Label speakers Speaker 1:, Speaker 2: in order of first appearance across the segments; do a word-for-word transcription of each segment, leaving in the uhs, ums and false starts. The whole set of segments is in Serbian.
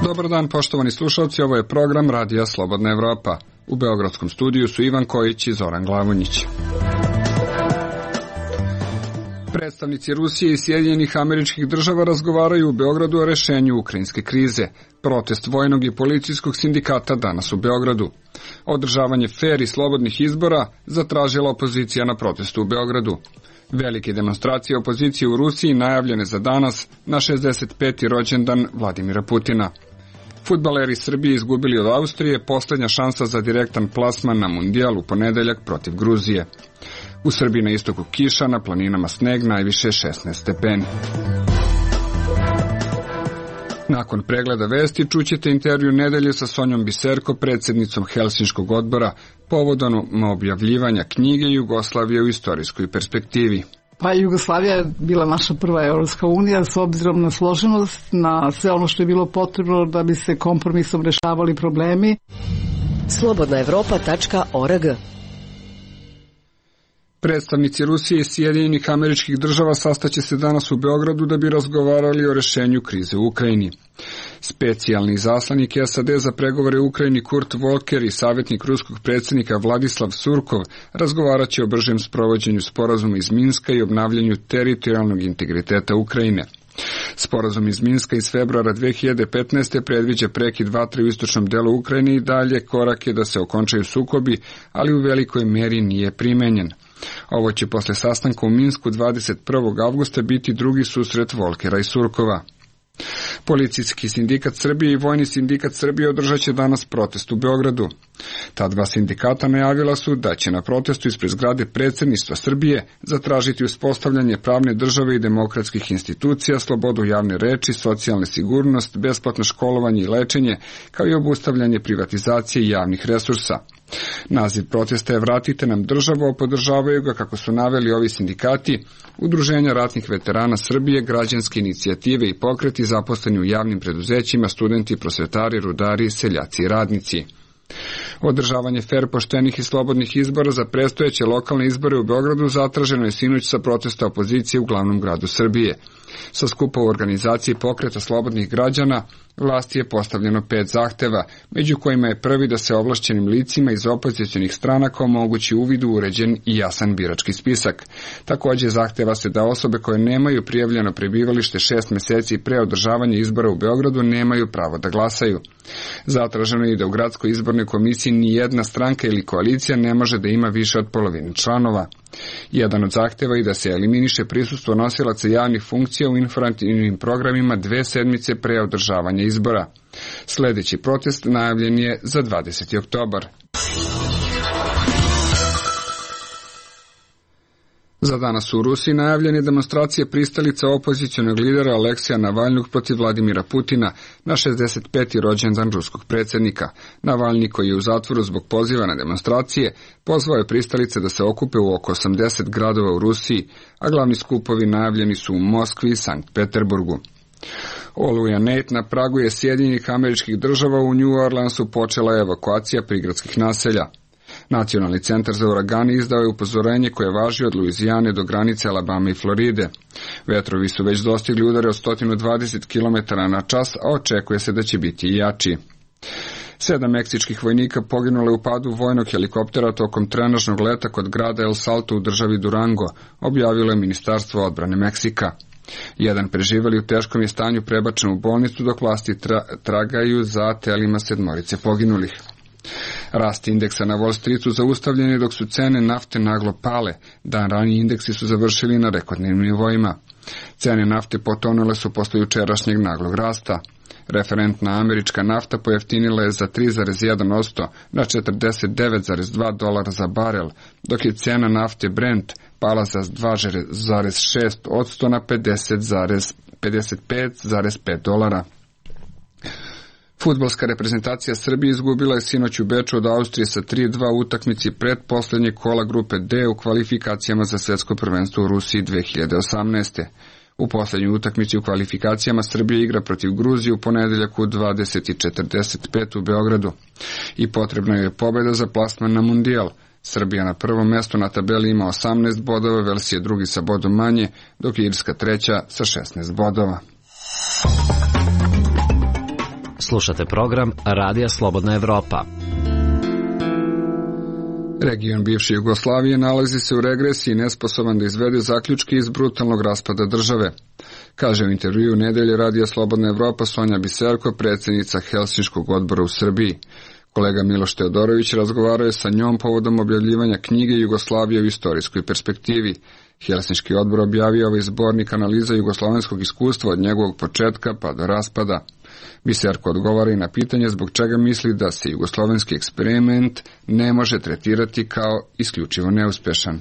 Speaker 1: Dobar dan, poštovani slušalci, ovo je program Radija Slobodna Evropa. U beogradskom studiju su Ivan Kojić i Zoran Glavonjić. Predstavnici Rusije i Sjedinjenih Američkih Država razgovaraju u Beogradu o rešenju ukrajinske krize. Protest vojnog i policijskog sindikata danas u Beogradu. Održavanje fer i slobodnih izbora zatražila opozicija na protestu u Beogradu. Velike demonstracije opozicije u Rusiji najavljene za danas na šezdeset peti rođendan Vladimira Putina. Fudbaleri Srbije izgubili od Austrije, poslednja šansa za direktan plasman na Mundijal u ponedeljak protiv Gruzije. U Srbiji na istoku kiša, na planinama sneg, najviše šesnaest stepeni. Nakon pregleda vesti čućete intervju nedelje sa Sonjom Biserko, predsjednicom Helsinškog odbora, povodom objavljivanja knjige Jugoslavije u istorijskoj perspektivi.
Speaker 2: Pa Jugoslavija je bila naša prva Evropska unija s obzirom na složenost, na sve ono što je bilo potrebno da bi se kompromisom rešavali problemi.
Speaker 3: slobodna evropa tačka org.
Speaker 1: Predstavnici Rusije i Sjedinjenih Američkih Država sastaće se danas u Beogradu da bi razgovarali o rešenju krize u Ukrajini. Specijalni izaslanik S A D za pregovore u Ukrajini Kurt Volker i savjetnik ruskog predsjednika Vladislav Surkov razgovarat će o bržem sprovođenju sporazuma iz Minska i obnavljanju teritorijalnog integriteta Ukrajine. Sporazum iz Minska iz februara dve hiljade petnaeste. predviđa prekid vatre u istočnom delu Ukrajine i dalje korake da se okončaju sukobi, ali u velikoj meri nije primenjen. Ovo će posle sastanka u Minsku dvadeset prvog avgusta biti drugi susret Volkera i Surkova. Policijski sindikat Srbije i Vojni sindikat Srbije održat će danas protest u Beogradu. Ta dva sindikata najavila su da će na protestu ispred zgrade predsjedništva Srbije zatražiti uspostavljanje pravne države i demokratskih institucija, slobodu javne reči, socijalne sigurnost, besplatno školovanje i lečenje, kao i obustavljanje privatizacije javnih resursa. Naziv protesta je Vratite nam državu, a podržavaju ga, kako su naveli ovi sindikati, Udruženja ratnih veterana Srbije, građanske inicijative i pokreti zaposleni u javnim preduzećima, studenti, prosvetari, rudari, seljaci i radnici. Održavanje fer, poštenih i slobodnih izbora za predstojeće lokalne izbore u Beogradu zatraženo je sinoć sa protesta opozicije u glavnom gradu Srbije. Sa skupa u organizaciji Pokreta slobodnih građana vlasti je postavljeno pet zahteva, među kojima je prvi da se ovlašćenim licima iz opozicionih stranaka omogući uvid u uređen i jasan birački spisak. Također zahteva se da osobe koje nemaju prijavljeno prebivalište šest meseci pre održavanja izbora u Beogradu nemaju pravo da glasaju. Zatraženo je i da u gradskoj izbornoj komisiji ni jedna stranka ili koalicija ne može da ima više od polovine članova. Jedan od zahteva je da se eliminiše prisustvo nosilaca javnih funkcija u informativnim programima dve sedmice pre održavanja izbora. Sljedeći protest najavljen je za dvadeseti oktobar. Za danas u Rusiji najavljene demonstracije pristalica opozicionog lidera Aleksija Navalnog protiv Vladimira Putina na šezdeset peti rođendan ruskog predsjednika. Navalni, koji je u zatvoru zbog poziva na demonstracije, pozvao je pristalice da se okupe u oko osamdeset gradova u Rusiji, a glavni skupovi najavljeni su u Moskvi i Sankt Peterburgu. Oluja Nate na pragu je Sjedinjenih Američkih Država. U New Orleansu počela je evakuacija prigradskih naselja. Nacionalni centar za uragane izdao je upozorenje koje važi od Luizijane do granice Alabame i Floride. Vetrovi su već dostigli udare od sto dvadeset kilometara na čas, a očekuje se da će biti i jači. Sedam meksičkih vojnika poginulo u padu vojnog helikoptera tokom trenažnog leta kod grada El Salto u državi Durango, objavilo je Ministarstvo odbrane Meksika. Jedan preživeli u teškom je stanju prebačen u bolnicu, dok vlasti tra- tragaju za telima sedmorice poginulih. Rast indeksa na Wall Streetu zaustavljen je dok su cene nafte naglo pale. Dan ranije indeksi su završili na rekordnim nivoima. Cene nafte potonule su posle jučerašnjeg naglog rasta. Referentna američka nafta pojeftinila je za tri zarez jedan posto na četrdeset devet zarez dva dolara za barel, dok je cena nafte Brent pala za dva zarez šest posto na pedeset pet zarez pet dolara. Fudbalska reprezentacija Srbije izgubila je sinoć u Beču od Austrije sa tri dva u utakmici pretposlednjeg kola grupe D u kvalifikacijama za svjetsko prvenstvo u Rusiji dve hiljade osamnaeste. U poslednjoj utakmici u kvalifikacijama Srbija igra protiv Gruzije u ponedeljak u dvadeset i četrdeset pet u Beogradu. I potrebna je pobjeda za plasman na Mundijal. Srbija na prvom mestu na tabeli ima osamnaest bodova, Vels je drugi sa bodom manje, dok je Irska treća sa šesnaest bodova.
Speaker 4: Slušate program Radija Slobodna Evropa.
Speaker 1: Region bivše Jugoslavije nalazi se u regresiji, nesposoban da izvede zaključke iz brutalnog raspada države. Kaže u intervjuu Nedelje Radija Slobodna Evropa Sonja Biserko, predsjednica Helsinškog odbora u Srbiji. Kolega Miloš Teodorović razgovarao je sa njom povodom objavljivanja knjige Jugoslavija u istorijskoj perspektivi. Helsinški odbor objavio ovaj zbornik analiza jugoslovenskog iskustva od njegovog početka pa do raspada. Biserko odgovara i na pitanje zbog čega misli da se jugoslovenski eksperiment ne može tretirati kao isključivo neuspešan.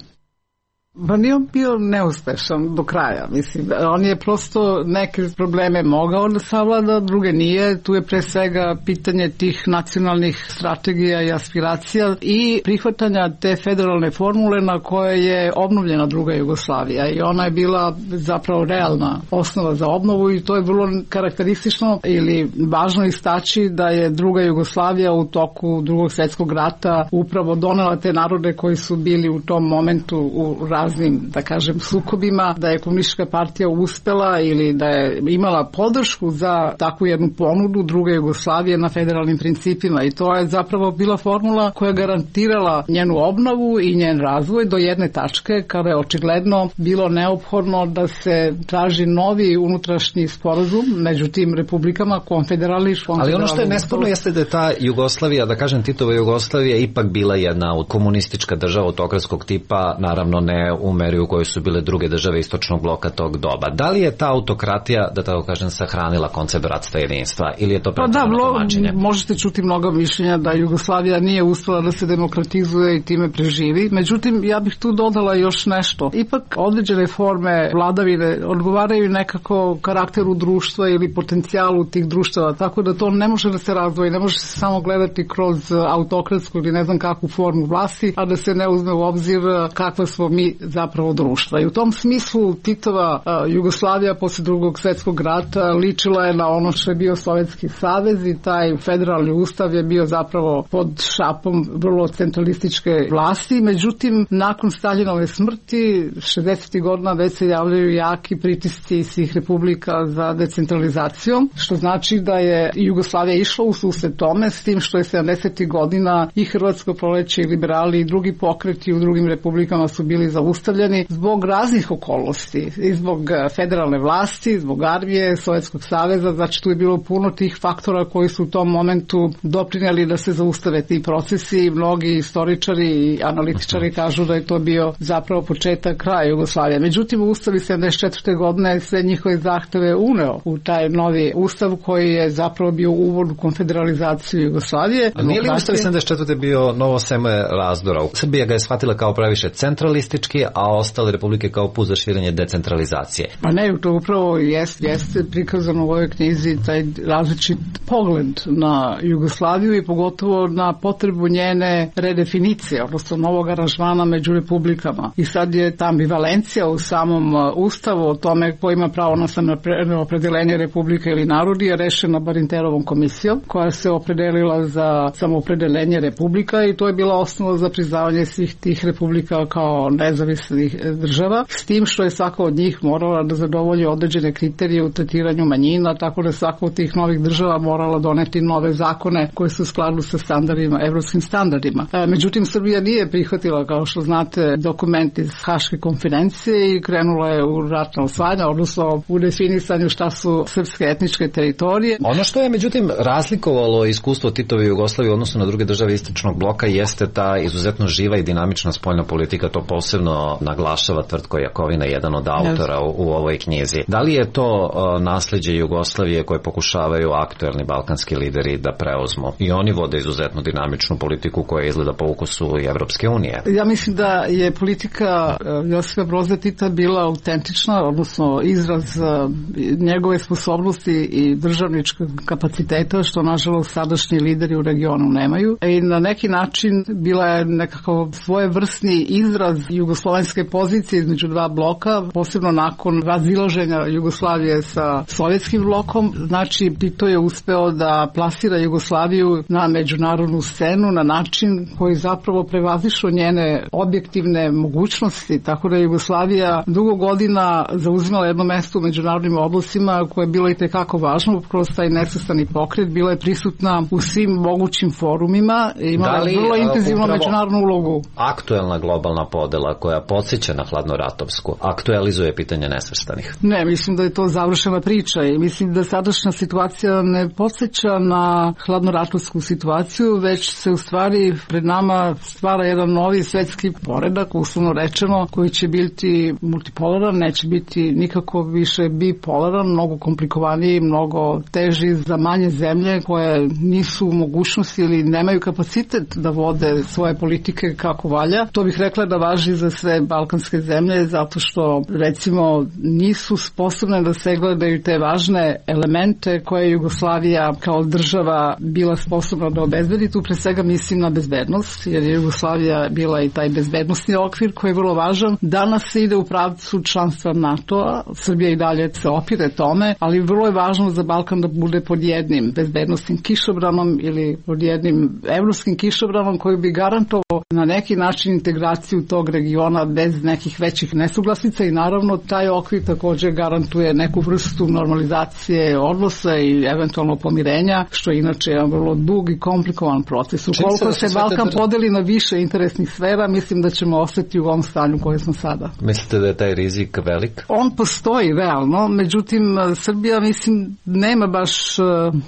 Speaker 2: Pa nije on bio neuspešan do kraja, mislim. On je prosto neke probleme mogao da savlada, druge nije. Tu je pre svega pitanje tih nacionalnih strategija i aspiracija i prihvatanja te federalne formule na koje je obnovljena druga Jugoslavija i ona je bila zapravo realna osnova za obnovu i to je vrlo karakteristično ili važno istaći da je druga Jugoslavija u toku drugog svjetskog rata upravo donela te narode koji su bili u tom momentu u raznim, da kažem, sukobima, da je komunistička partija uspela ili da je imala podršku za takvu jednu ponudu druge Jugoslavije na federalnim principima i to je zapravo bila formula koja je garantirala njenu obnovu i njen razvoj do jedne tačke kada je očigledno bilo neophodno da se traži novi unutrašnji sporazum među tim republikama konfederalni.
Speaker 4: Ali ono što je nesporno jeste da je ta Jugoslavija, da kažem Titova Jugoslavija, ipak bila jedna od komunistička država autokratskog tipa, naravno ne u meri u kojoj su bile druge države istočnog bloka tog doba. Da li je ta autokratija, da tako kažem, sahranila koncept bratstva i jedinstva ili je to pretjerano tumačenje?
Speaker 2: Da, možete čuti mnogo mišljenja da Jugoslavija nije uspela da se demokratizuje i time preživi. Međutim, ja bih tu dodala još nešto. Ipak određene forme vladavine odgovaraju nekako karakteru društva ili potencijalu tih društava, tako da to ne može da se razdvoji, ne može se samo gledati kroz autokratsku ili ne znam kakvu formu vlasti, a da se ne uzme u obzir kakva smo mi zapravo društva. I u tom smislu Titova a, Jugoslavija posle drugog svjetskog rata ličila je na ono što je bio Sovjetski savez i taj federalni ustav je bio zapravo pod šapom vrlo centralističke vlasti. Međutim, nakon Staljinove smrti šezdesetih godina već se javljaju jaki pritisci svih republika za decentralizacijom, što znači da je Jugoslavija išla u susret tome, s tim što je sedamdesetih godina i Hrvatsko proleće i liberali i drugi pokreti u drugim republikama su bili zaustavljeni zbog raznih okolnosti i zbog federalne vlasti, zbog armije, Sovjetskog saveza, znači tu je bilo puno tih faktora koji su u tom momentu doprinijeli da se zaustave ti procesi i mnogi istoričari i analitičari kažu da je to bio zapravo početak kraja Jugoslavije. Međutim, Ustav iz sedamdeset četvrte godine sve njihove zahteve uneo u taj novi Ustav koji je zapravo bio uvod u konfederalizaciju Jugoslavije.
Speaker 4: A nije li Ustav iz sedamdeset četvrte bio novo seme razdora? Srbija ga je shvatila kao previše centralistički, a ostale republike kao put za širenje decentralizacije.
Speaker 2: Pa ne, to upravo jeste, jeste prikazano u ovoj knjizi taj različit pogled na Jugoslaviju i pogotovo na potrebu njene redefinicije, odnosno novog aranžmana među republikama. I sad je ta ambivalencija u samom Ustavu o tome ko ima pravo na samoopredeljenje republike ili narodi je rešena Barinterovom komisijom koja se opredelila za samoopredeljenje republika i to je bila osnova za priznavanje svih tih republika kao nezavisnih država, s tim što je svaka od njih morala da zadovolji određene kriterije u tretiranju manjina, tako da svaka od tih novih država morala doneti nove zakone koji su u skladu sa standardima, evropskim standardima. E, međutim, Srbija nije prihvatila, kao što znate, dokument iz Haške konferencije i krenula je u ratna osvajanja, odnosno u definisanju šta su srpske etničke teritorije.
Speaker 4: Ono što je, međutim, razlikovalo iskustvo Titove Jugoslavije u odnosu na druge države istočnog bloka jeste ta izuzetno živa i dinamična spoljna politika, to posebno naglašava Tvrtko Jakovina, jedan od autora u, u ovoj knjizi. Da li je to uh, nasleđe Jugoslavije koje pokušavaju aktuelni balkanski lideri da preuzmu? I oni vode izuzetno dinamičnu politiku koja izgleda po ukusu i Evropske unije.
Speaker 2: Ja mislim da je politika uh, Josipa Broza Tita bila autentična, odnosno izraz uh, njegove sposobnosti i državničkog kapaciteta, što nažalost sadašnji lideri u regionu nemaju. I na neki način bila je nekako svojevrsni izraz jugoslovenskog jugoslovenske pozicije između dva bloka, posebno nakon razilaženja Jugoslavije sa sovjetskim blokom. Znači, Tito je uspeo da plasira Jugoslaviju na međunarodnu scenu na način koji zapravo prevazišao njene objektivne mogućnosti, tako da je Jugoslavija dugo godina zauzimala jedno mesto u međunarodnim odnosima koje je bilo i tekako važno, kroz taj nesvrstani pokret, bila je prisutna u svim mogućim forumima, imala
Speaker 4: li,
Speaker 2: vrlo intenzivnu međunarodnu ulogu.
Speaker 4: Aktuelna globalna podela koja podsjeća na hladnoratovsku aktualizuje pitanje nesvrstanih?
Speaker 2: Ne, mislim da je to završena priča i mislim da sadašnja situacija ne podsjeća na hladnoratovsku situaciju, već se u stvari pred nama stvara jedan novi svetski poredak, uslovno rečeno, koji će biti multipolaran, neće biti nikako više bipolaran, mnogo komplikovaniji, mnogo teži za manje zemlje koje nisu u mogućnosti ili nemaju kapacitet da vode svoje politike kako valja. To bih rekla da važi za sve balkanske zemlje, zato što recimo nisu sposobne da se gledaju te važne elemente koje je Jugoslavija kao država bila sposobna da obezbedi. Tu pre svega mislim na bezbednost, jer je Jugoslavija bila i taj bezbednosni okvir koji je vrlo važan. Danas se ide u pravcu članstva NATO-a, Srbija i dalje se opire tome, ali vrlo je važno za Balkan da bude pod jednim bezbednostnim kišobranom ili pod jednim evropskim kišobranom koji bi garantovao na neki način integraciju tog regiona bez nekih većih nesuglasica i naravno taj okvir također garantuje neku vrstu normalizacije odnosa i eventualno pomirenja, što je inače jedan vrlo dug i komplikovan proces. Ukoliko se, se Balkan podeli na više interesnih sfera, mislim da ćemo ostati u ovom stanju koje smo sada.
Speaker 4: Mislite da je taj rizik velik?
Speaker 2: On postoji realno, međutim Srbija mislim nema baš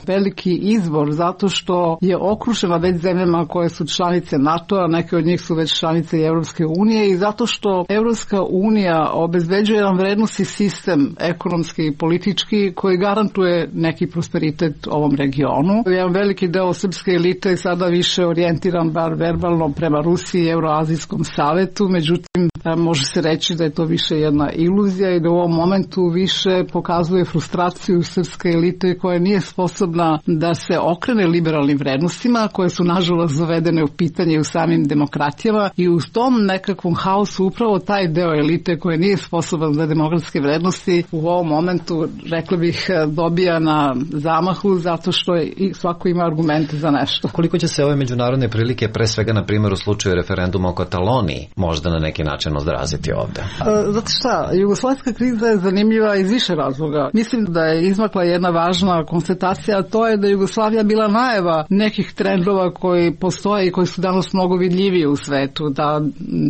Speaker 2: veliki izbor zato što je okružena već zemljama koje su članice NATO-a, neke od njih su već članice i Evropske unije i zato što Evropska unija obezbeđuje jedan vrednosni sistem ekonomski i politički koji garantuje neki prosperitet ovom regionu. Jedan veliki deo srpske elite je sada više orijentiran bar verbalno prema Rusiji i Euroazijskom savetu, međutim može se reći da je to više jedna iluzija i da u ovom momentu više pokazuje frustraciju srpske elite koja nije sposobna da se okrene liberalnim vrednostima koje su nažalost zavedene u pitanje u samim demokratijama i u tom nekakvom haosu upravo taj deo elite koji nije sposoban za demokratske vrednosti u ovom momentu, rekla bih, dobija na zamahu zato što je, svako ima argumente za nešto.
Speaker 4: Koliko će se ove međunarodne prilike, pre svega na primjer u slučaju referenduma o Kataloniji, možda na neki način odraziti ovde?
Speaker 2: Zato šta, jugoslavijska kriza je zanimljiva iz više razloga. Mislim da je izmakla jedna važna konstatacija, a to je da je Jugoslavija bila najava nekih trendova koji postoje i koji su danas mnogo vidljiviji u svetu, da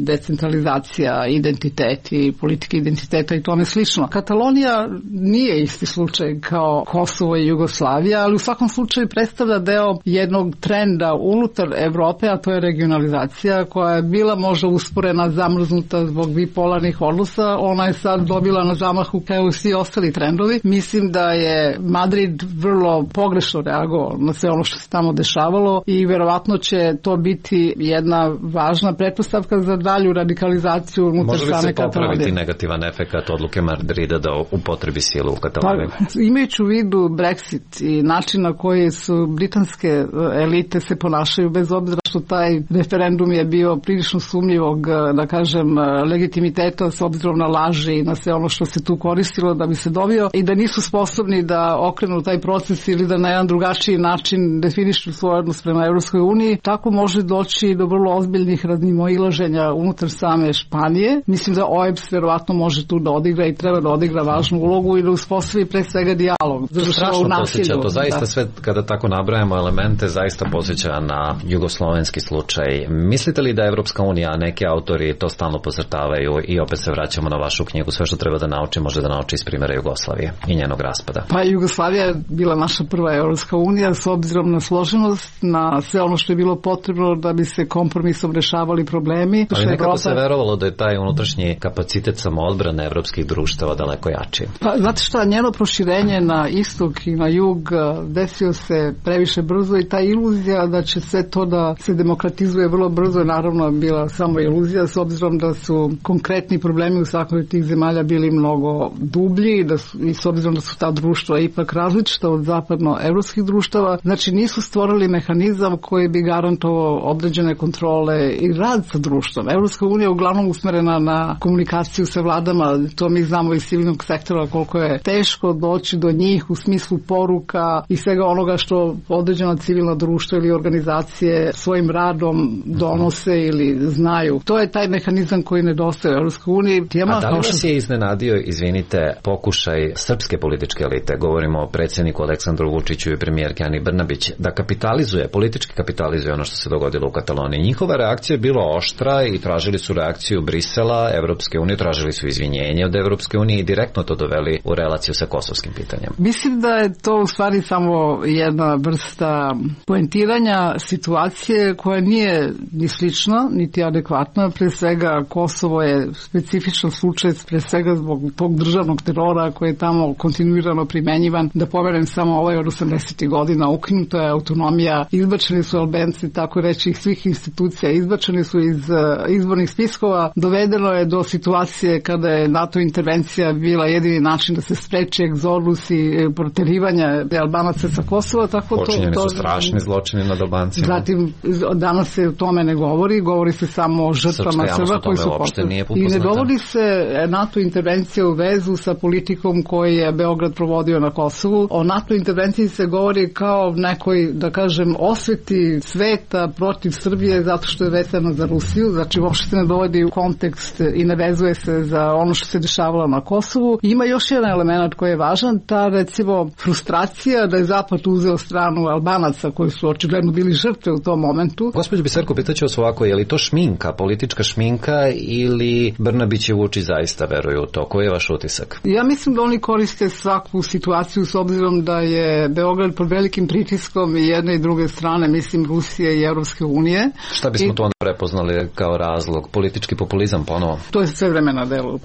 Speaker 2: decentralizacija, identitet i politike identiteta i tome slično. Katalonija nije isti slučaj kao Kosovo i Jugoslavija, ali u svakom slučaju predstavlja deo jednog trenda unutar Evrope, a to je regionalizacija koja je bila možda usporena, zamrznuta zbog bipolarnih odnosa. Ona je sad dobila na zamahu kao i svi ostali trendovi. Mislim da je Madrid vrlo pogrešno reagovao na sve ono što se tamo dešavalo i verovatno će to biti jedna važna pretpostavka za dalju radikalizaciju unutar same Katalonije.
Speaker 4: Može li se popraviti negativan efekt odluke Madrida da upotrebi silu u Kataloniji?
Speaker 2: Pa, imajući u vidu Brexit i način na koji su britanske elite se ponašaju, bez obzira što taj referendum je bio prilično sumnjivog, da kažem, legitimiteta s obzirom na laži i na sve ono što se tu koristilo da bi se dobio i da nisu sposobni da okrenu taj proces ili da na jedan drugačiji način definišu svoj odnos prema Evropskoj uniji, tako može doći do vrlo ozbiljnih razmimoilaženja unutar same Španije. Mislim da O E B S verovatno može tu da odigra i treba da odigra važnu ulogu i da uspostavi pre svega dijalog.
Speaker 4: Strašno posjeća, to zaista da. Sve kada tako nabrajamo elemente zaista posjeća na jugoslovenski slučaj. Mislite li da Evropska unija, neki autori to stalno podcrtavaju i opet se vraćamo na vašu knjigu, sve što treba da nauči može da nauči iz primjera Jugoslavije i njenog raspada?
Speaker 2: Pa Jugoslavija je bila naša prva Evropska unija s obzirom na složenost, na sve ono što je bilo potrebno da bi se kompromisom rešavali problemi.
Speaker 4: Ali nekako Evropa... se verovalo da je taj unutrašnji kapacitet samoodbrane evropskih društava daleko jači.
Speaker 2: Pa znate šta, njeno proširenje na istok i na jug desio se previše brzo i ta iluzija da će sve to da se demokratizuje vrlo brzo je naravno bila samo iluzija s obzirom da su konkretni problemi u svakoj od tih zemalja bili mnogo dublji da su, i s obzirom da su ta društva ipak različita od zapadnoevropskih društava, znači nisu stvorili mehanizam koji bi garantovao određene kontrole i rad sa društvom. Evropska unija je uglavnom usmerena na komunikaciju sa vladama, to mi znamo iz civilnog sektora koliko je teško doći do njih u smislu poruka i svega onoga što određena civilna društva ili organizacije svojim radom donose ili znaju. To je taj mehanizam koji nedostaje u Evropskoj uniji.
Speaker 4: A da li vas je iznenadio, izvinite, pokušaj srpske političke elite, govorimo o predsjedniku Aleksandru Vučiću i premijerki Ani Brnabić, da kapitalizuje, politički kapitalizuje ono što se dogodilo u Kataloniji? Njihova reakcija je bila oštra i tražili su reakciju Brisela, Evropske unije, tražili su izvinjenje od Evropske unije i direktno to doveli u relaciju sa kosovskim pitanjem.
Speaker 2: Mislim da je to u stvari samo jedna vrsta poentiranja situacije koja nije ni slična, niti adekvatna. Pre svega Kosovo je specifičan slučaj, pre svega zbog tog državnog terora koji je tamo kontinuirano primenjivan. Da pomenem samo ovaj od osamdesetih godina, ukinuta je autonomija, izbačeni su Albanci, tako reći, svih institucija, izbačeni su iz izbornih spiskova, dovedeno je do situacije kada je NATO intervencija bila jedini način da se spreči egzodus i proterivanje Albanaca sa Kosova, tako to...
Speaker 4: Počinjeni su strašni zločini nad Albancima.
Speaker 2: Zatim, danas se o tome ne govori, govori se samo o žrtvama Srba koji su postavili. I ne dovodi se NATO intervencija u vezu sa politikom koju je Beograd provodio na Kosovu. O NATO intervenciji se govori kao nekoj, da kažem, osveti sveta protiv Srbije zato što je vezano za Rusiju, znači uopšte se ne dovodi u kontekst i ne vezuje se za ono što se dešavalo na Kosovu. Ima još jedan element koji je važan, ta recimo frustracija da je Zapad uzeo stranu Albanaca koji su očigledno bili žrtve u tom momentu.
Speaker 4: Gospođo Biserko, pitaću vas ovako, je li to šminka, politička šminka ili Brnabić i Vučić zaista veruju u to? Koji je vaš utisak?
Speaker 2: Ja mislim da oni koriste svaku situaciju s obzirom da je Beograd pod velikim pritiskom i jedne i druge strane, mislim Rusije i Evropske unije.
Speaker 4: Šta bismo
Speaker 2: I...
Speaker 4: to onda prepoznali kao razlog? Politički populizam ponovo?
Speaker 2: To je sve vreme na delu.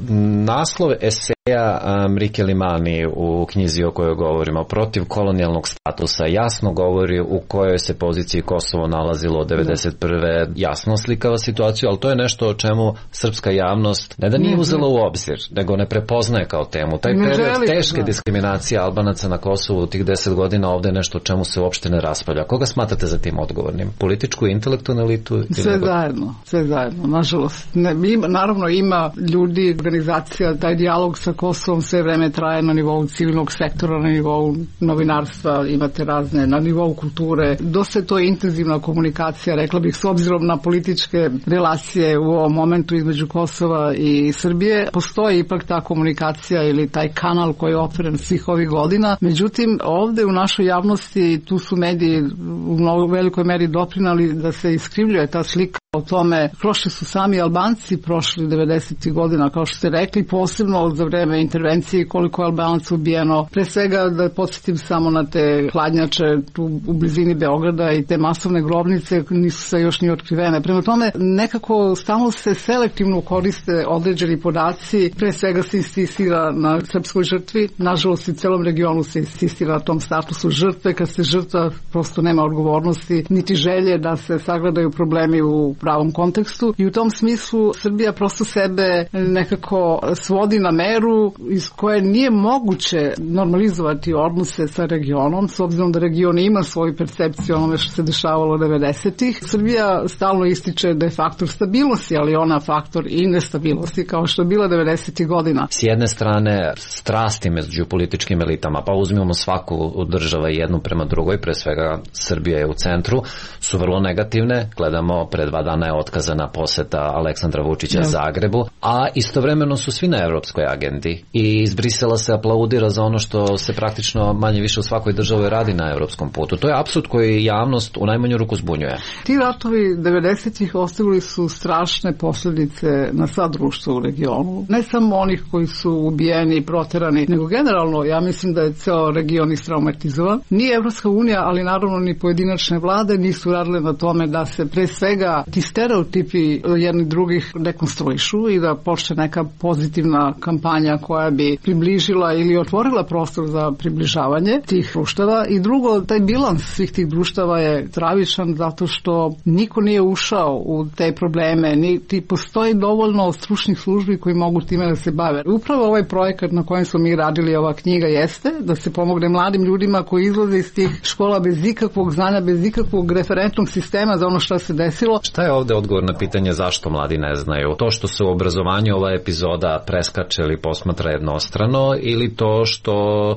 Speaker 4: Naslov eseja Mrike Limani u knjizi o kojoj govorimo, protiv kolonijalnog statusa, jasno govori u kojoj se poziciji Kosovo nalazilo od devedeset prve jasno slikava situaciju, ali to je nešto o čemu srpska javnost ne da nije uzela u obzir, nego ne prepoznaje kao temu. Taj period teške da. diskriminacije Albanaca na Kosovu u tih deset godina ovde je nešto o čemu se uopšte ne raspravlja. Koga smatrate za tim odgovornim? Političku i intelektualnu elitu?
Speaker 2: Sve nego... zajedno, sve zajedno, nažalost. Ne, ima, naravno ima ljudi, organizacija, taj dijalog sa Kosovom sve vreme traje na nivou civilnog sektora, na nivou novinarstva, imate razne, na nivou kulture. Dosta je to intenzivna komunikacija, rekla bih, s obzirom na političke relacije u ovom momentu između Kosova i Srbije. Postoji ipak ta komunikacija ili taj kanal koji je otvoren svih ovih godina. Međutim, ovde u našoj javnosti tu su mediji u mnogo velikoj meri doprinali da se iskrivljuje ta slika o tome. Prošli su sami Albanci, prošli devedesetih godina, kao što ste rekli, posebno za vreme intervencije koliko je Albanaca ubijeno. Pre svega da podsjetim samo na te hladnjače tu u blizini Beograda i te masovne grobnice nisu se još ni otkrivene. Prema tome, nekako stalno se selektivno koriste određeni podaci, pre svega se insistira na srpskoj žrtvi, nažalost i celom regionu se insistira na tom statusu žrtve, kad se žrtva prosto nema odgovornosti, niti želje da se sagledaju problemi u pravom kontekstu i u tom smislu Srbija prosto sebe nekako svodi na meru iz koje nije moguće normalizovati odnose sa regionom, s obzirom da region ima svoju percepciju onome što se dešavalo devedesetih. Srbija stalno ističe da je faktor stabilnosti, ali ona faktor i nestabilnosti kao što je bila devedesetih godina.
Speaker 4: S jedne strane strasti među političkim elitama, pa uzmimo svaku od država jednu prema drugoj, pre svega Srbija je u centru, su vrlo negativne. Gledamo, pre dva dana je otkazana poseta Aleksandra Vučića ja. Zagrebu, a istovremeno su svi na evropskoj agendi i iz Brisela se aplaudira za ono što se praktično manje više u svakoj državi radi na evropskom putu. To je apsurd koji javnost u najmanju ruku zbunjuje.
Speaker 2: Ti ratovi devedesetih ostavili su strašne posljedice na sva društva u regionu. Ne samo onih koji su ubijeni i proterani, nego generalno ja mislim da je ceo region istraumatizovan. Ni Evropska unija, ali naravno ni pojedinačne vlade nisu radile na tome da se pre svega ti stereotipi jedni drugih dekonstruišu i da počne neka pozitivna kampanja koja bi približila ili otvorila prostor za približavanje tih društava. I drugo, taj bilans svih tih društava je travičan zato što niko nije ušao u te probleme, niti postoji dovoljno stručnih službi koji mogu time da se bave. Upravo ovaj projekat na kojem smo mi radili, ova knjiga, jeste da se pomogne mladim ljudima koji izlaze iz tih škola bez ikakvog znanja, bez ikakvog referentnog sistema za ono što se desilo.
Speaker 4: Šta je ovde odgovor na pitanje zašto mladi ne znaju? To što se u obrazovanju ova epizoda preskače ili posmatra jednostrano, ili to što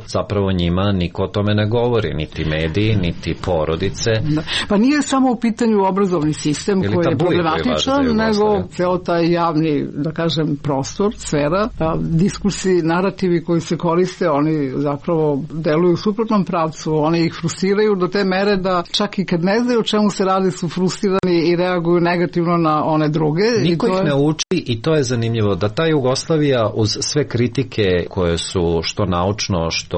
Speaker 4: zapravo njima niko o tome ne govori, niti mediji, niti porodice?
Speaker 2: Da. Pa nije samo u pitanju obrazovni sistem ili koji je problematičan, nego ceo taj javni, da kažem, prostor, sfera, diskursi, narativi koji se koriste, oni zapravo deluju u suprotnom pravcu, oni ih frustriraju do te mere da čak i kad ne znaju o čemu se radi su frustrirani i reaguju negativno na one druge.
Speaker 4: Niko
Speaker 2: I to
Speaker 4: ih
Speaker 2: je...
Speaker 4: ne uči i to je zanimljivo da ta Jugoslavija uz sve kritike koje su što naučno, što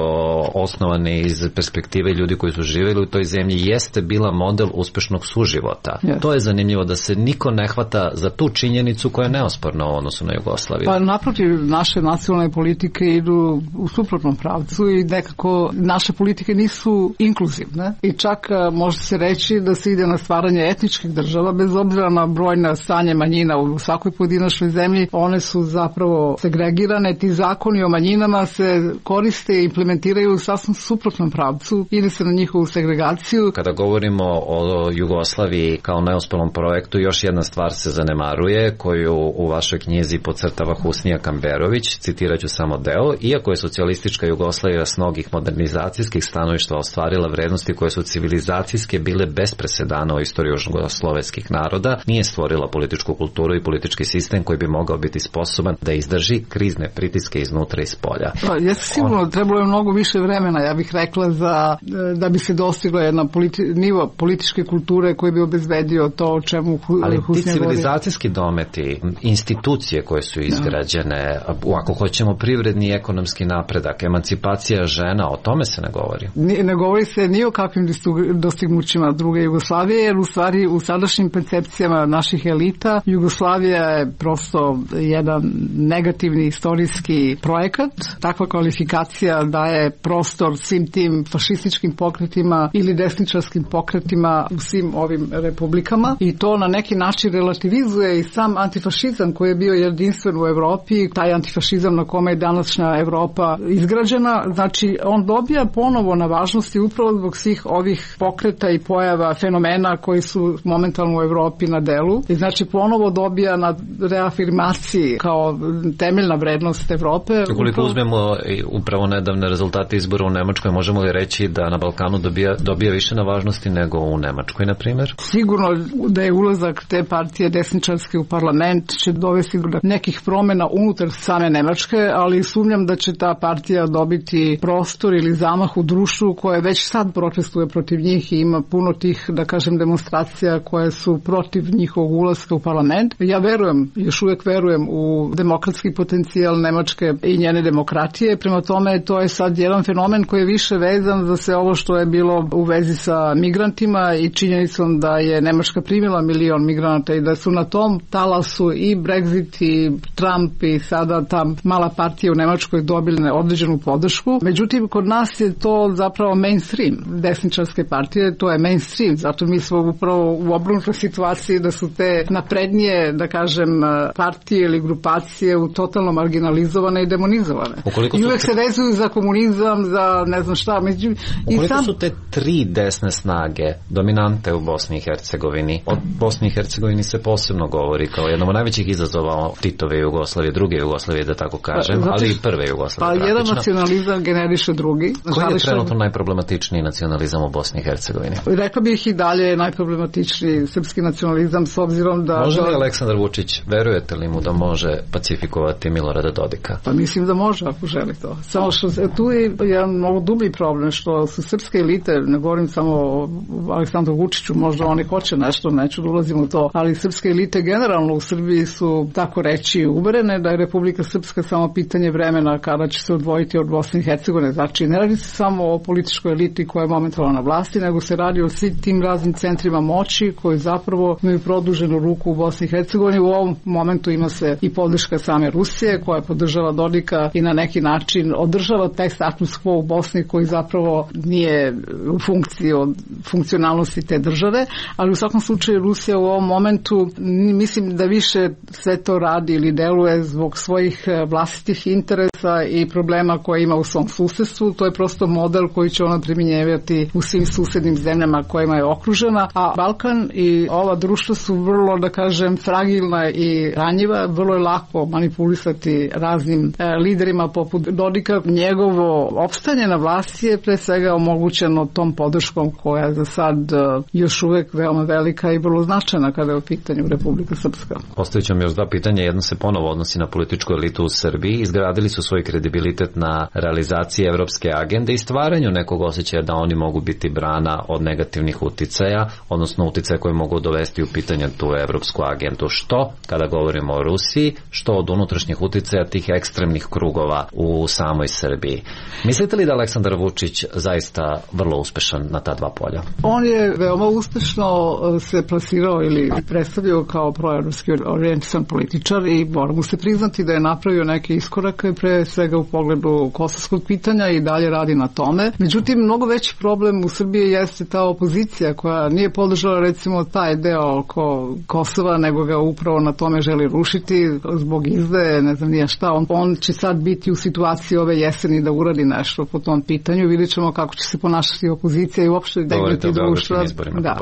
Speaker 4: osnovane iz perspektive ljudi koji su živjeli u toj zemlji, jeste bila model uspešnog suživota. Yes. To je zanimljivo da se niko ne hvata za tu činjenicu koja je neosporna u odnosu na Jugoslaviju.
Speaker 2: Pa naprotiv, naše nacionalne politike idu u suprotnom pravcu i nekako naše politike nisu inkluzivne i čak može se reći da se ide na stvaranje etničkih država bez obzira na brojna stanje manjina u svakoj pojedinačnoj zemlji. One su zapravo segregirane, ti zakoni o manjinama se koriste i implementiraju u sasvim suprotnom pravcu, ide se na njihovu segregaciju.
Speaker 4: Kada govorimo o Jugoslaviji kao neuspelom projektu, još jedna stvar se zanemaruje koju u vašoj knjizi podcrtava Husnija Kamberović, citirat ću samo deo: iako je socijalistička Jugoslavija s mnogih modernizacijskih stanovišta ostvarila vrednosti koje su civilizacijske bile bez presedana u istoriji jugoslovenskih naroda, nije stvorila političku kulturu i politički sistem koji bi mogao biti sposoban da izdrži krizne pritiske iznutra i spolja.
Speaker 2: Pa, jeste sigurno, On... trebalo je mnogo više vremena, ja bih rekla, za, da bi se dostigla jedna politi, nivo političke kulture koji bi obezbedio to o čemu Husnija govori.
Speaker 4: Ali ti civilizacijski dometi, institucije koje su izgrađene, no. ako hoćemo privredni i ekonomski napredak, emancipacija žena, o tome se ne govori.
Speaker 2: Ne, ne govori se ni o kakvim dostignućima druge Jugoslavije, jer u stvari u sadašnjim percepcijama naših elita Jugoslavija je prosto jedan negativni istorijski projekat. Takva kvalifikacija daje prostor svim tim fašističkim pokretima ili desničarskim pokretima u svim ovim republikama i to na neki način relativizuje i sam antifašizam koji je bio jedinstven u Evropi, taj antifašizam na kome je današnja Evropa izgrađena. Znači, on dobija ponovo na važnosti upravo zbog svih ovih pokreta i pojava fenomena koji su momentalno u Evropi na delu. I znači, ponovo dobija na reafirmaciji kao temeljna vrednost Evrope.
Speaker 4: Ukoliko
Speaker 2: upravo...
Speaker 4: uzmemo upravo nedavne rezultate izbora u Nemačkoj, možemo li reći da na Balkanu dobija, dobija više na važnosti nego u Nemačkoj, na primjer?
Speaker 2: Sigurno da je ulazak te partije desničarske u parlament će dovesti do nekih promjena unutar same Nemačke, ali sumnjam da će ta partija dobiti prostor ili zamah u društvu koje već sad protestuje protiv njih i ima puno tih, da kažem, demonstracija koje su protiv njihovog ulaska u parlament. Ja verujem, još uvijek verujem u demokratski potencijal Nemačke i njene demokratije, prema tome to je sad jedan fenomen koji je više vezan za sve ovo što je bilo u vezi sa migrantima i činjenicom da je Nemačka primila milion migranata i da su na tom talasu i Brexit i Trump i sada ta mala partija u Nemačkoj dobili određenu podršku. Međutim, kod nas je to zapravo mainstream desničarske partije, to je mainstream, zato mi smo upravo u obrnutoj situaciji da su te naprednije, da kažem, partije ili grupacije u totalno marginalizovane i demonizovane.
Speaker 4: Ukoliko
Speaker 2: I uvek te... se vezuju za komunizam, za ne znam šta. Među...
Speaker 4: Ukoliko I sam... su te tri desne snage dominante u Bosni i Hercegovini, od Bosni i Hercegovini se posebno govori kao jednom od najvećih izazova Titove Jugoslavije, druge Jugoslavije, da tako kažem, pa, ali i prve Jugoslavije.
Speaker 2: Pa jedan nacionalizam generiše drugi.
Speaker 4: Koji je trenutno najproblematičniji nacionalizam u Bosni i Hercegovini?
Speaker 2: Rekla bih i dalje najproblematičniji srpski nacionalizam s obzirom da...
Speaker 4: Može li Aleksandar Vučić, verujete li mu da može pacifikovati Milorada Dodika?
Speaker 2: Pa mislim da može ako želi to. Samo što tu je jedan mnogo dublji problem što su srpske elite, ne govorim samo o Aleksandru Vučiću, možda oni hoće nešto, neću da ulazim u to, ali srpske elite generalno u Srbiji su, tako reći, uverene da je Republika Srpska samo pitanje vremena kada će se odvojiti od Bosne i Hercegovine. Znači, ne radi se samo o političkoj eliti koja je momentalno na vlasti, nego se radi o svim tim raznim centrima moći koji zapravo zapravo imaju produženu ruku u Bosni i Hercegovini. U ovom momentu ima se i podrška same Rusije koja podržava Dodika i na neki način održava taj status quo u Bosni koji zapravo nije u funkciji od funkcionalnosti te države, ali u svakom slučaju Rusija u ovom momentu mislim da više sve to radi ili deluje zbog svojih vlastitih interesa i problema koje ima u svom susedstvu. To je prosto model koji će ona primjenjivati u svim susednim zemljama kojima je okružena, a Balkan i ova društva su vrlo, da kažem, fragilna i ranjiva, vrlo je lako manipulisati raznim e, liderima poput Dodika. Njegovo opstanje na vlasti je pre svega omogućeno tom podrškom koja je za sad e, još uvek veoma velika i vrlo značajna kada je u pitanju Republika Srpska.
Speaker 4: Postavit ću vam još dva pitanja. Jedno se ponovo odnosi na političku elitu u Srbiji. Izgradili su svoj kredibilitet na realizaciji evropske agende i stvaranju nekog osjećaja da oni mogu biti brana od negativnih uticaja, odnosno uticaja koje mogu dovesti u pitanje tu evropsku agendu. Što kada govorimo o Rusiji, što od unutrašnjih uticaja tih ekstremnih krugova u samoj Srbiji. Mislite li da Aleksandar Vučić zaista vrlo uspešan na ta dva polja?
Speaker 2: On je veoma uspešno se plasirao ili predstavio kao proevropski orijentisan političar i moramo se priznati da je napravio neke iskorake pre svega u pogledu kosovskog pitanja i dalje radi na tome. Međutim, mnogo veći problem u Srbiji jeste ta opozicija koja nije podržala recimo taj deo oko Kosova, nego ga upravo na tome želi rušiti zbog izdaje, ne znam nije šta. On, on će sad biti u situaciji ove jeseni da uradi nešto po tom pitanju. Vidjet ćemo kako će se ponašati opozicija i uopšte degniti društva. Da.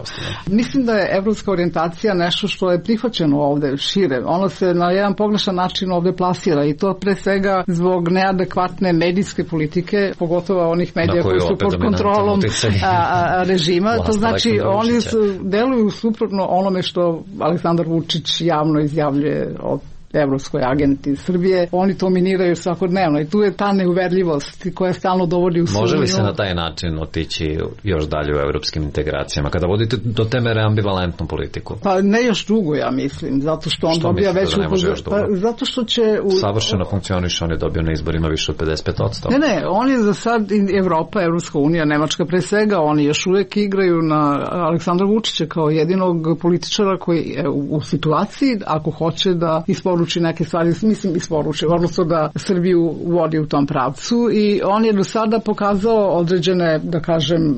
Speaker 2: Mislim da je evropska orijentacija nešto što je prihvaćeno ovde šire. Ono se na jedan pogrešan način ovde plasira i to pre svega zbog neadekvatne medijske politike, pogotovo onih medija koji su pod kontrolom a, a, režima. To znači oni su, deluju suprotno onome što Aleksandar Vučić javno izjavljuje od evropskoj agenti Srbije. Oni to miniraju svakodnevno i tu je ta neuverljivost koja stalno dovodi u sumnju.
Speaker 4: Može li se na taj način otići još dalje u evropskim integracijama kada vodite do te mere ambivalentnu politiku?
Speaker 2: Pa ne još dugo, ja mislim, zato što on što dobija veću... Da pa, zato što će... U...
Speaker 4: Savršeno funkcioniše, on je dobio na izborima više od pedeset pet posto.
Speaker 2: Ne, ne, on je za sad Evropa, Evropska unija, Nemačka pre svega, oni još uvek igraju na Aleksandra Vučića kao jedinog političara koji je u, u situaciji, ako hoće da isporuči neke stvari, mislim isporuči, odnosno da Srbiju vodi u tom pravcu i on je do sada pokazao određene, da kažem,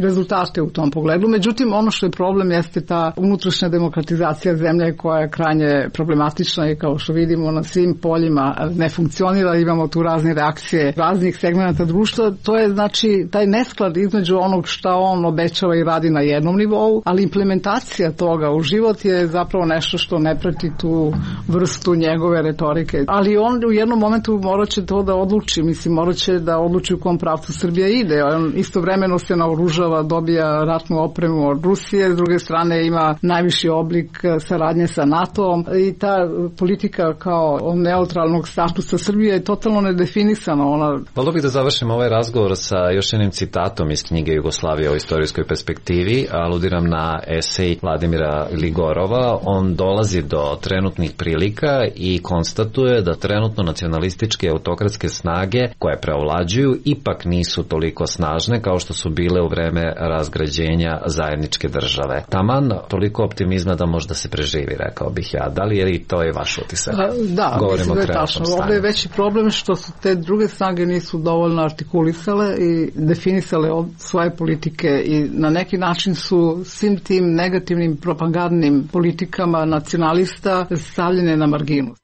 Speaker 2: rezultate u tom pogledu. Međutim, ono što je problem jeste ta unutrašnja demokratizacija zemlje koja je krajnje problematična i kao što vidimo na svim poljima ne funkcionira, imamo tu razne reakcije raznih segmenta društva. To je znači taj nesklad između onog šta on obećava i radi na jednom nivou, ali implementacija toga u život je zapravo nešto što ne prati tu vrstu njegove retorike. Ali on u jednom momentu morat će to da odluči, mislim, morat će da odluči u kom pravcu Srbija ide. On istovremeno se naoružava, dobija ratnu opremu od Rusije, s druge strane ima najviši oblik saradnje sa NATO-om i ta politika kao neutralnog statusa Srbije je totalno nedefinisana. Ona...
Speaker 4: Volio bih da završim ovaj razgovor sa još jednim citatom iz knjige Jugoslavija o istorijskoj perspektivi. Aludiram na esej Vladimira Ligorova. On dolazi do trenutnih prilika i konstatuje da trenutno nacionalističke autokratske snage koje preovlađuju ipak nisu toliko snažne kao što su bile u vreme razgrađenja zajedničke države. Taman toliko optimizma da možda se preživi, rekao bih ja. Da li je i to je vaš utisak?
Speaker 2: Da,
Speaker 4: govorimo
Speaker 2: mislim da je tačno. Ovdje je veći problem što su te druge snage nisu dovoljno artikulisale i definisale svoje politike i na neki način su svim tim negativnim propagandnim politikama nacionalista stavljene na marginu.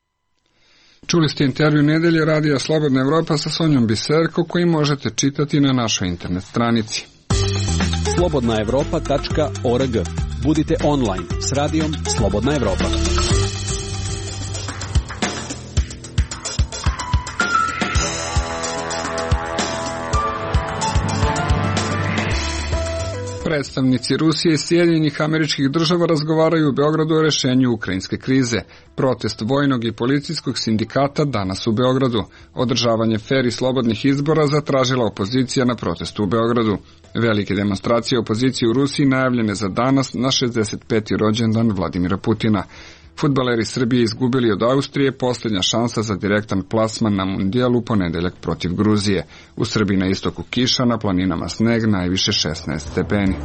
Speaker 1: Čuli ste intervju Nedelje radija Slobodna Evropa sa Sonjom Biserko koji možete čitati na našoj internet stranici.
Speaker 5: slobodna evropa tačka org. Budite online s radijom Slobodna Evropa.
Speaker 1: Predstavnici Rusije i Sjedinjenih Američkih Država razgovaraju u Beogradu o rešenju ukrajinske krize. Protest vojnog i policijskog sindikata danas u Beogradu. Održavanje fer i slobodnih izbora zatražila opozicija na protestu u Beogradu. Velike demonstracije opozicije u Rusiji najavljene za danas na šezdeset peti rođendan Vladimira Putina. Fudbaleri Srbije izgubili od Austrije, posljednja šansa za direktan plasman na mundijalu u ponedeljak protiv Gruzije. U Srbiji na istoku kiša, na planinama sneg, najviše šesnaest stepeni.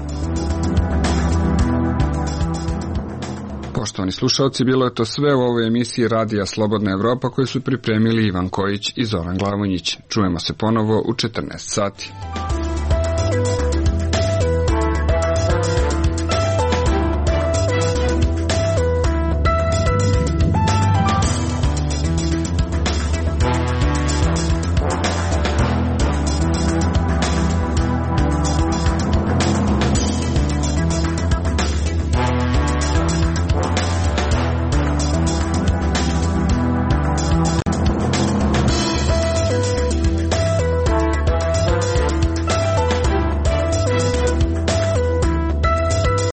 Speaker 1: Poštovani slušalci, bilo je to sve u ovoj emisiji Radija Slobodna Evropa koju su pripremili Ivan Kojić i Zoran Glavonjić. Čujemo se ponovo u četrnaest sati.